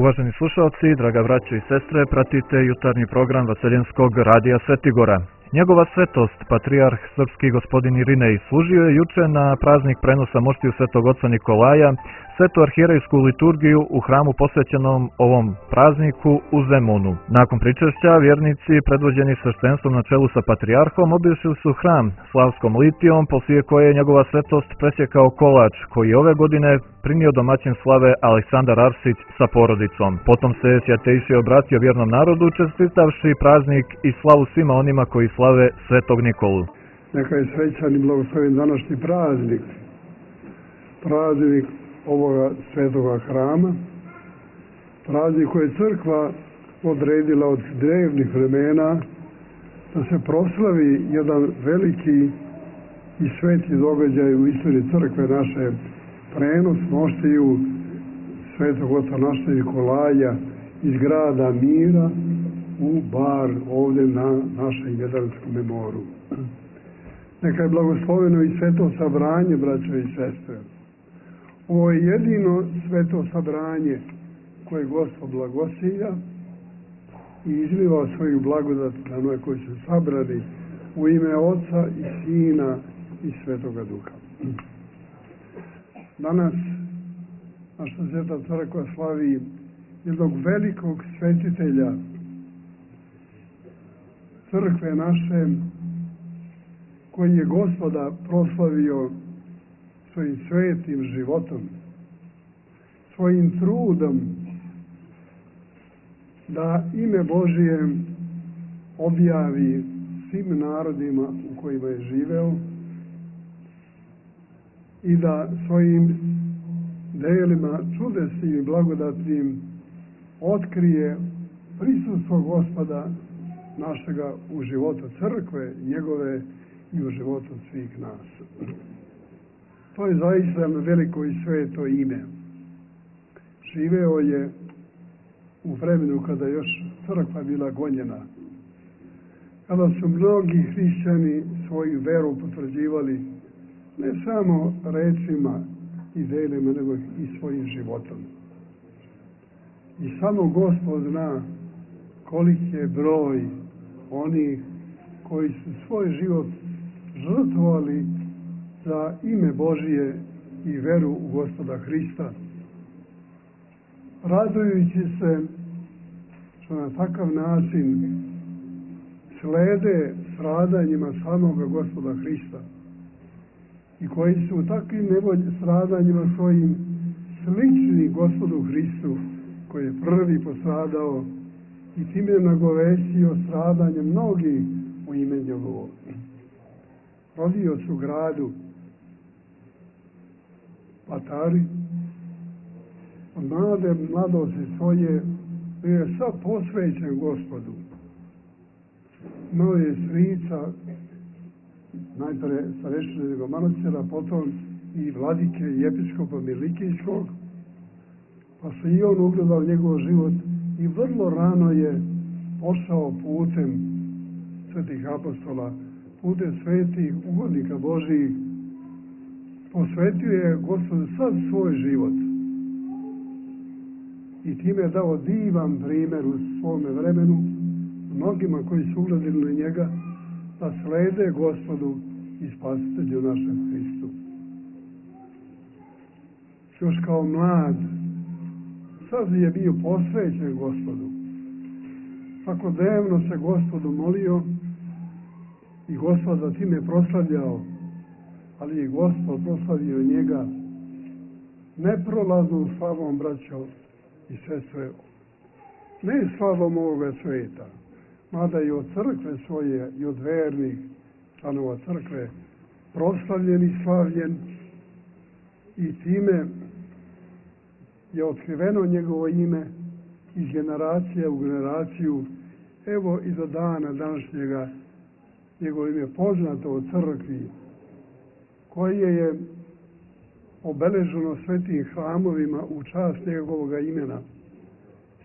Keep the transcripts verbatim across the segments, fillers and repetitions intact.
Uvaženi slušalci, draga braćo i sestre, pratite jutarnji program Vaseljenskog radija Svetigora. Njegova svetost, patrijarh srpski gospodin Irinej, služio je juče na praznik prenosa moštiju svetog oca Nikolaja, svetu arhijerejsku liturgiju u hramu posvećenom ovom prazniku u Zemunu. Nakon pričešća, vjernici, predvođeni sveštenstvom na čelu sa patrijarhom, obišli su hram slavskom litijom, poslije koje je njegova svetost presjekao kolač, koji je ove godine primio domaćin slave Aleksandar Arsić sa porodicom. Potom se Svjatejši obratio vjernom narodu, čestitavši praznik i slavu svima onima koji slave Svetog Nikolu. Neka je srećan i blagosloven današnji praznik, praznik ovoga svetoga hrama, praznik koje je crkva odredila od drevnih vremena da se proslavi jedan veliki i sveti događaj u istoriji crkve naše, prenos moštiju svetog oca našeg Nikolaja iz grada Mira u Bar ovdje na našem Jadranskom moru. Neka je blagosloveno i sveto sabranje, braćo i sestre. Ovo je jedino sveto sabranje koje Gospod blagosilja i izliva svoju blagodat na one koji su sabrani u ime Oca i Sina i Svetoga Duha. Danas naša sveta crkva slavi jednog velikog svetitelja crkve naše, koji je Gospoda proslavio svojim svetim životom, svojim trudom da ime Božije objavi svim narodima u kojima je živeo i da svojim delima čudesnim i blagodatnim otkrije prisustvo Gospoda našega u životu crkve, njegove i u životu svih nas. To je zaista veliko i sveto ime. Živeo je u vremenu kada još crkva bila gonjena, kada su mnogi hrišćani svoju veru potvrđivali ne samo rečima i delima, nego i svojim životom. I samo Gospod zna koliki je broj onih koji su svoj život žrtvovali za ime Božije i veru u Gospoda Hrista, radujući se što na takav način slede stradanjima samoga Gospoda Hrista i koji su u takvim stradanjima svojim slični Gospodu Hristu, koji je prvi postradao i time nagovestio stradanje mnogih u ime njegovo. Rodio se u gradu Patari, od mlade mladosti svoje bio je sad posvećen Gospodu. Imao je strica, najpre starešćenog manastira, potom i vladike i episkopa Milikijskog, pa se i on ugledao njegov život i vrlo rano je pošao putem svetih apostola, putem svetih ugodnika Božijih. Posvetio je Gospodu sad svoj život i time je dao divan primjer u svome vremenu mnogima koji su ugledili na njega da slede Gospodu i Spasitelju našem Hristu. Još kao mlad sad je bio posvećen Gospodu. Svakodnevno se Gospodu molio i Gospod za time proslavljao, ali je Gospod proslavio njega neprolaznom slavom, braćo i sestre, ne slavom ovoga sveta, mada i od crkve svoje i od vernih članova crkve proslavljen i slavljen, i time je otkriveno njegovo ime iz generacije u generaciju. Evo i do dana današnjega njegovo ime poznato u crkvi, koje je obeleženo svetim hramovima u čast njegovog imena.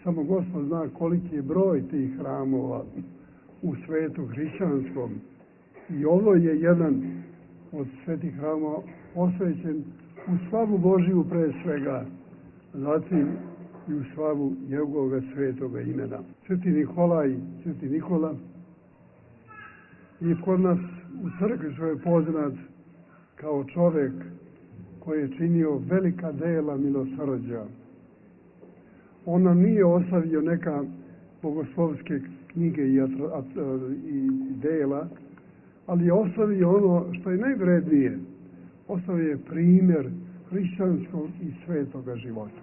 Samo Gospod zna koliki je broj tih hramova u svetu hrišćanskom. I ovo je jedan od svetih hramova posvećen u slavu Božiju pre svega, zatim i u slavu njegovog svetoga imena. Sveti Nikolaj, Sveti Nikola, i kod nas u crkvi što je poznat kao čovjek koji je činio velika dela milosrđa. On nam nije ostavio neka bogoslovske knjige i, i dela, ali je ostavio ono što je najvrednije. Ostavio je primjer hrišćanskog i svetoga života.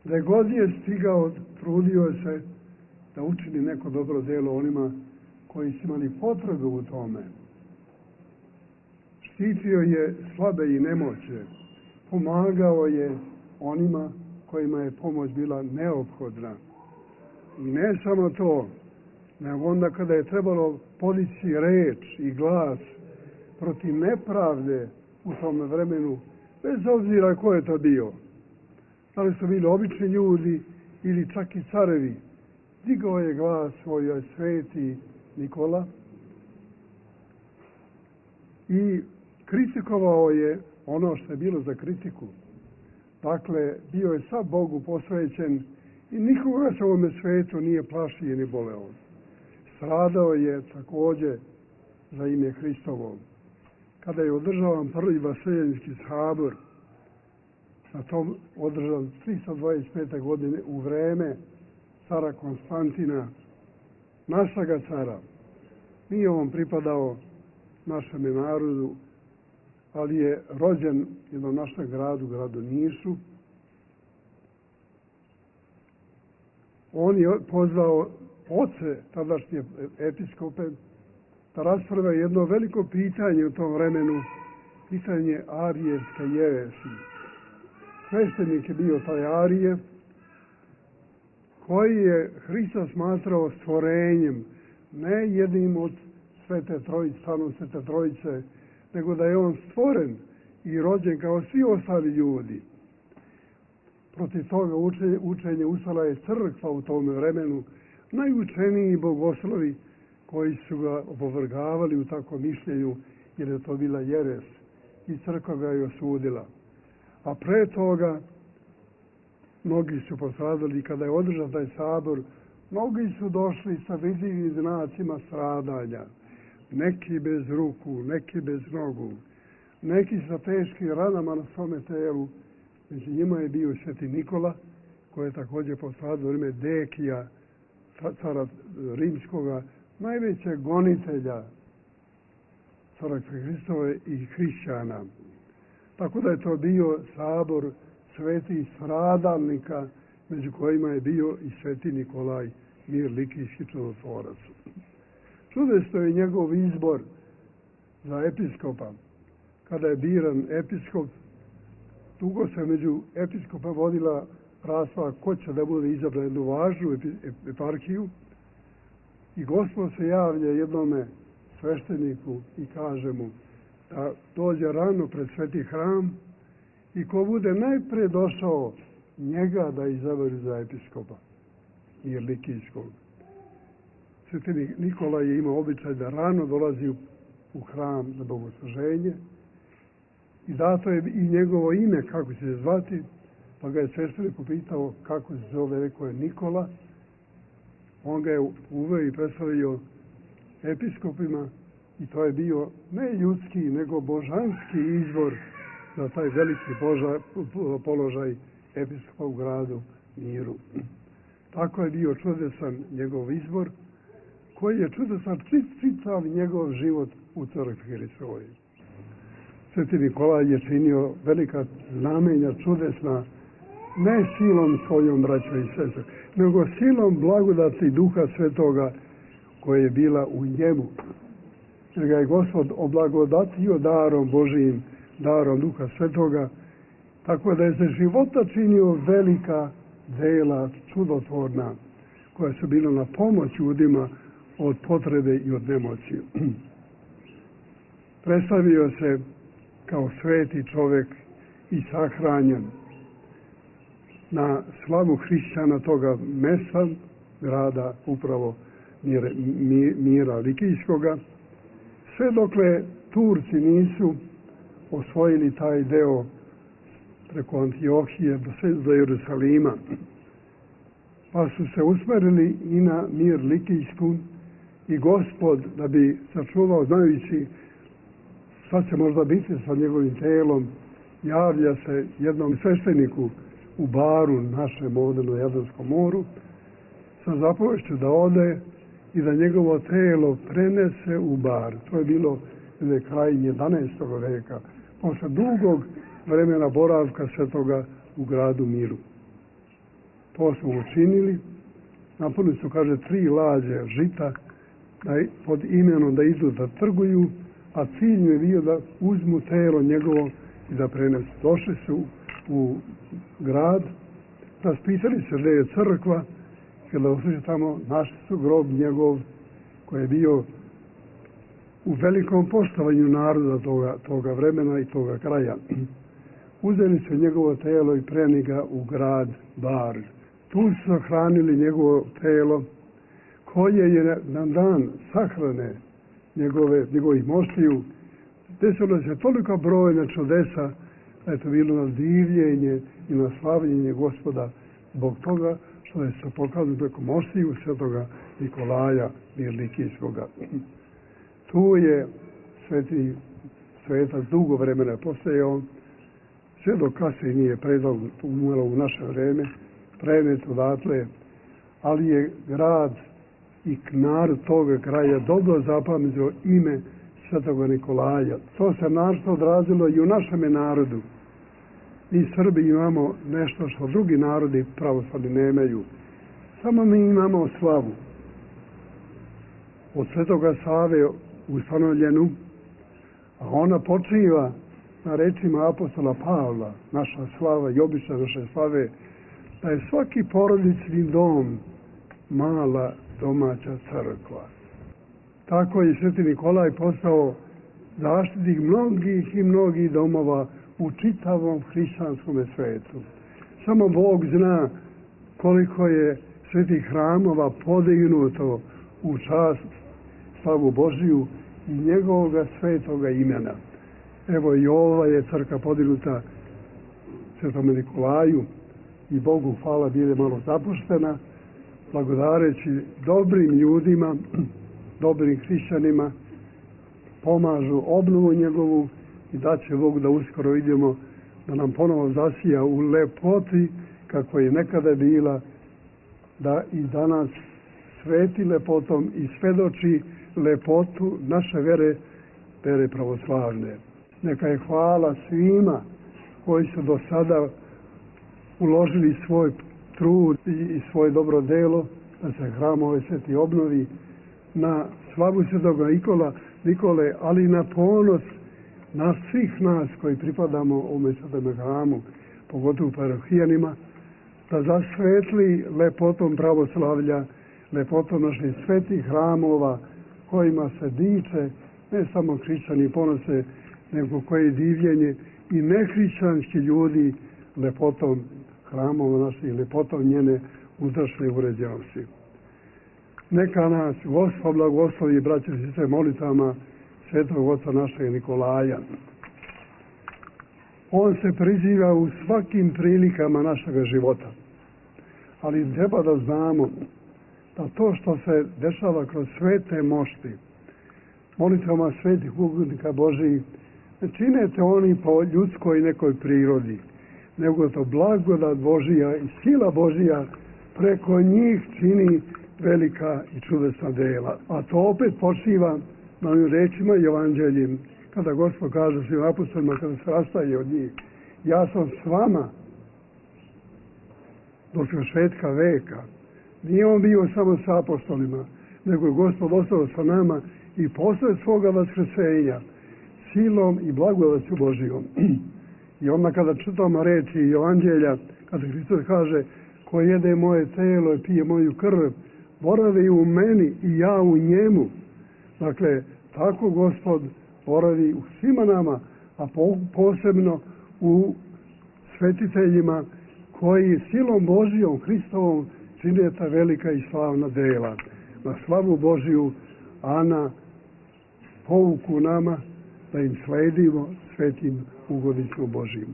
Da je god je stigao, trudio se da učini neko dobro delo onima koji su imali potrebu u tome. Štitio je slabe i nemoće, pomagao je onima kojima je pomoć bila neophodna. I ne samo to, nego onda kada je trebalo podići reč i glas protiv nepravde u tom vremenu, bez obzira ko je to bio, da li su bili obični ljudi ili čak i carevi, digao je glas svoj sveti Nikola i kritikovao je ono što je bilo za kritiku. Dakle, bio je sav Bogu posvećen i nikoga se u ovome svetu nije plašio ni boleo. Stradao je također za ime Hristovo. Kada je održavan prvi Vaseljenski sabor, na tom održan tristo dvadeset pete godine u vreme cara Konstantina, našega cara. Nije on pripadao našem narodu, ali je rođen jednom našem gradu, gradu Nišu. On je pozvao oce, tadašnje episkope, da rasprave jedno veliko pitanje u tom vremenu, pitanje arijevske jeresi. Sveštenik je bio taj Arije, koji je Hrista smatrao stvorenjem, ne jednim od Svete Trojice, stvarno Svete Trojice, nego da je on stvoren i rođen kao svi ostali ljudi. Protiv toga učenje, učenje ustala je crkva u tom vremenu, najučeniji bogoslovi koji su ga opovrgavali u takvom mišljenju, jer je to bila jeres i crkva ga je osudila. A pre toga mnogi su postradali. Kada je održan taj sabor, mnogi su došli sa vidljivim znacima stradanja. Neki bez ruku, neki bez nogu, neki sa teškim ranama na svome telu. Među njima je bio Sveti Nikola, koji je također postradao ime Dekija, cara rimskoga, najvećeg gonitelja crkve Hristove i hrišćana. Tako da je to bio sabor svetih stradalnika, među kojima je bio i Sveti Nikolaj, mir likijski čudotvorac. Čudesto je njegov izbor za episkopa. Kada je biran episkop, dugo se među episkopa vodila rasprava ko će da bude izabran jednu važnu eparhiju i Gospod se javlja jednome svešteniku i kaže mu da dođe rano pred sveti hram i ko bude najpre došao njega da izabere za episkopa jer likijskog. Sveti Nikola je imao običaj da rano dolazi u hram za bogosluženje i dato je i njegovo ime kako će se zvati, pa ga je sveštenik upitao kako se zove, rekao je Nikola. On ga je uveo i predstavio episkopima i to je bio ne ljudski, nego božanski izbor za taj veliki boža, položaj episkopa u gradu Miru. Tako je bio čudesan njegov izbor, koji je čudesan čitav njegov život u crkvi Hristovoj. Sveti Nikolaj je činio velika znamenja čudesna, ne silom svojom, braćo i sestre, nego silom blagodati Duha Svetoga koja je bila u njemu. Jer ga je Gospod oblagodatio darom Božijim, darom Duha Svetoga, tako da je za života činio velika dela čudotvorna, koja su bila na pomoć ljudima od potrebe i od nemoći. Predstavio se kao sveti čovjek i sahranjen na slavu hrišćana toga mesta, grada upravo Mira, Mira Likijskoga, sve dokle Turci nisu osvojili taj deo preko Antiohije do Jerusalima. Pa su se usmerili i na mir Likijsku i Gospod, da bi sačuvao, znajući šta će možda biti sa njegovim telom, javlja se jednom svešteniku u Baru, našem ovdje na Jadranskom moru, sa zapovešću da ode i da njegovo telo prenese u Bar. To je bilo kraj jedanaestog veka, posle dugog vremena boravka svetoga u gradu Miru. To su učinili, napunili su, kaže, tri lađe žita da, pod imenom da idu da trguju, a cilj je bio da uzmu telo njegovo i da prenesu. Došli su u grad, raspitali se gdje je crkva, kada otišli tamo, našli su grob njegov koji je bio u velikom poštovanju naroda toga, toga vremena i toga kraja. Uzeli su njegovo telo i preneli ga u grad Bar. Tu su sahranili njegovo telo, koje je na dan sahrane njegove, njegovih moštiju desilo se toliko brojne čudesa da je to bilo na divljenje i na slavljenje Gospoda zbog toga što je se pokazano preko moštiju svetoga Nikolaja Likijskoga. Tu je sveti svetac dugo vremena postojao, sve dok kasnije nije predao, umrlo u naše vreme, prenet odatle, ali je grad i narod toga kraja dobro zapamtio ime svetoga Nikolaja. To se našto odrazilo i u našem narodu. Mi Srbi imamo nešto što drugi narodi pravoslavni nemaju. Samo mi imamo slavu. Od svetoga Save ustanovljenu, a ona počiva na rečima apostola Pavla, naša slava i obična naše slave, da je svaki porodični dom mala domaća crkva. Tako je sveti Nikolaj postao zaštitnik mnogih i mnogih domova u čitavom hrišćanskom svetu. Samo Bog zna koliko je svetih hramova podignuto u čast slavu Božiju i njegovoga svetoga imena. Evo i ova je crkva podignuta svetome Nikolaju i Bogu hvala bile malo zapuštena, blagodareći dobrim ljudima, dobrim hrišćanima, pomažu obnovu njegovu i da će Bog da uskoro vidimo da nam ponovo zasija u lepoti kako je nekada bila, da i danas sveti lepotom i svedoči lepotu naše vere, vere pravoslavne. Neka je hvala svima koji su do sada uložili svoj trud i svoje dobro delo da se hram ovaj sveti obnovi na slavu svetoga Nikola, Nikole, ali i na ponos nas svih nas koji pripadamo ovome svetome hramu, pogotovo parohijanima, da zasvetli lepotom pravoslavlja, lepotom naših svetih hramova kojima se diče ne samo hrišćani ponose, nego koje divljenje i nehrišćanski ljudi lepotom hramova naših, lepotom njene unutrašnje uređenosti. Neka nas Gospod blagoslovi, braće i sestre, molitama svetog oca našeg Nikolaja. On se priziva u svakim prilikama našega života, ali treba da znamo da to što se dešava kroz svete mošti, molitvama svetih ugodnika Božijih, ne činete oni po ljudskoj nekoj prirodi, nego to blagodat Božija i sila Božija preko njih čini velika i čudesna dela. A to opet počiva na ovim rečima i evanđeljem, kada Gospod kaže svim apostolima, kada se rastaje od njih: ja sam s vama do svršetka veka. Nije on bio samo sa apostolima, nego je Gospod ostao sa nama i posle svoga vaskrsenja silom i blagodaću Božijom. I onda kada čitamo reči i evanđelja, kada Hristos kaže: ko jede moje telo i pije moju krv, boravi u meni i ja u njemu. Dakle, tako Gospod boravi u svima nama, a posebno u svetiteljima koji silom Božijom, Hristovom, čine ta velika i slavna dela. Na slavu Božiju, a na pouku nama da im sledimo svetim ugodnicom Božijim.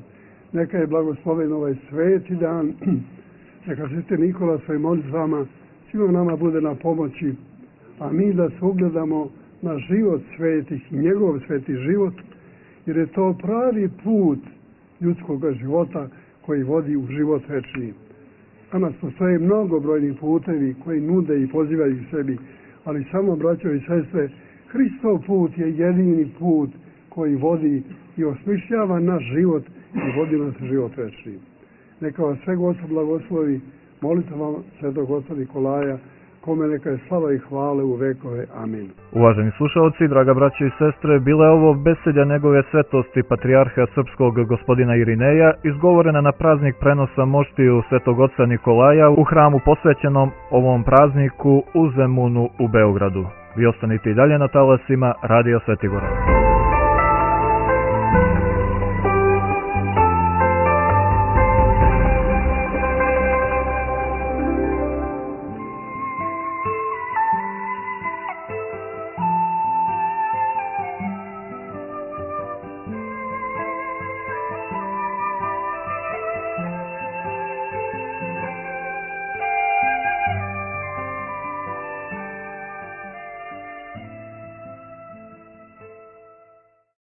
Neka je blagosloven ovaj sveti dan, neka Sveti Nikola svojim molitvama svima nama bude na pomoći, a mi da se ugledamo na život svetih i njegov sveti život, jer je to pravi put ljudskog života koji vodi u život večni. Danas postoje mnogobrojni putevi koji nude i pozivaju sebi, ali samo, braćo i sestre, Hristov put je jedini put koji vodi i osmišljava naš život i vodi nas u život večni. Neka vas sve Gospod blagoslovi, molitvom Svetog oca Nikolaja, kome neka je slava i hvale u vekove. Amin. Uvaženi slušalci, draga braće i sestre, bila je ovo beselja njegove svetosti patrijarha srpskog gospodina Irineja, izgovorena na praznik prenosa moštiju Svetog oca Nikolaja u hramu posvećenom ovom prazniku u Zemunu u Beogradu. Vi ostanite i dalje na talasima Radija Svetigora.